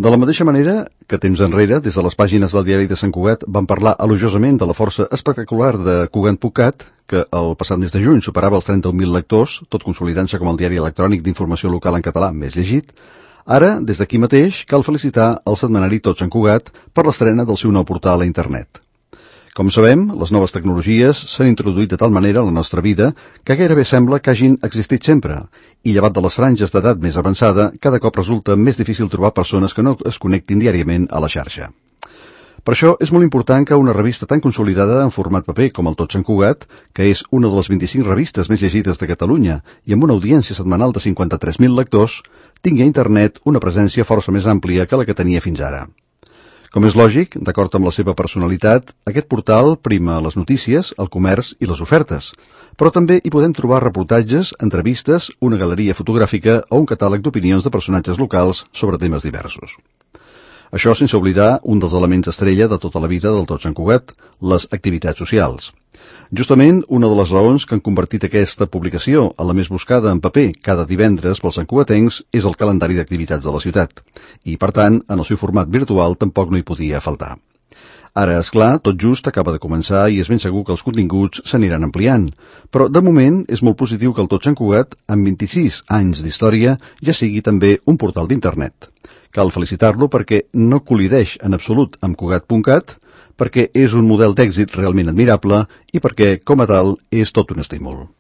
De la mateixa manera que temps enrere, des de les pàgines del diari de Sant Cugat, van parlar elogiosament de la força espectacular de Cugat.cat, que el passat mes de juny superava els 31.000 lectors, tot consolidant-se com el diari electrònic d'informació local en català més llegit, ara, des d'aquí mateix, cal felicitar el setmanari Tot Sant Cugat per l'estrena del seu nou portal a internet. Com sabem, les noves tecnologies s'han introduït de tal manera a la nostra vida que gairebé sembla que hagin existit sempre, i llevat de les franges d'edat més avançada, cada cop resulta més difícil trobar persones que no es connectin diàriament a la xarxa. Per això és molt important que una revista tan consolidada en format paper com el Tot Sant Cugat, que és una de les 25 revistes més llegides de Catalunya i amb una audiència setmanal de 53.000 lectors, tingui a internet una presència força més àmplia que la que tenia fins ara. Com és lògic, d'acord amb la seva personalitat, aquest portal prima les notícies, el comerç i les ofertes, però també hi podem trobar reportatges, entrevistes, una galeria fotogràfica o un catàleg d'opinions de personatges locals sobre temes diversos. Això sense oblidar un dels elements estrella de tota la vida del Tot Sant Cugat, les activitats socials. Justament, una de les raons que han convertit aquesta publicació en la més buscada en paper cada divendres pels santcugatencs és el calendari d'activitats de la ciutat, i, per tant, en el seu format virtual tampoc no hi podia faltar. Ara, és clar, tot just acaba de començar i és ben segur que els continguts s'aniran ampliant, però de moment és molt positiu que el Tot Sant Cugat, amb 26 anys d'història, ja sigui també un portal d'internet. Cal felicitar-lo perquè no col·lideix en absolut amb Cugat.cat, perquè és un model d'èxit realment admirable i perquè, com a tal, és tot un estímul.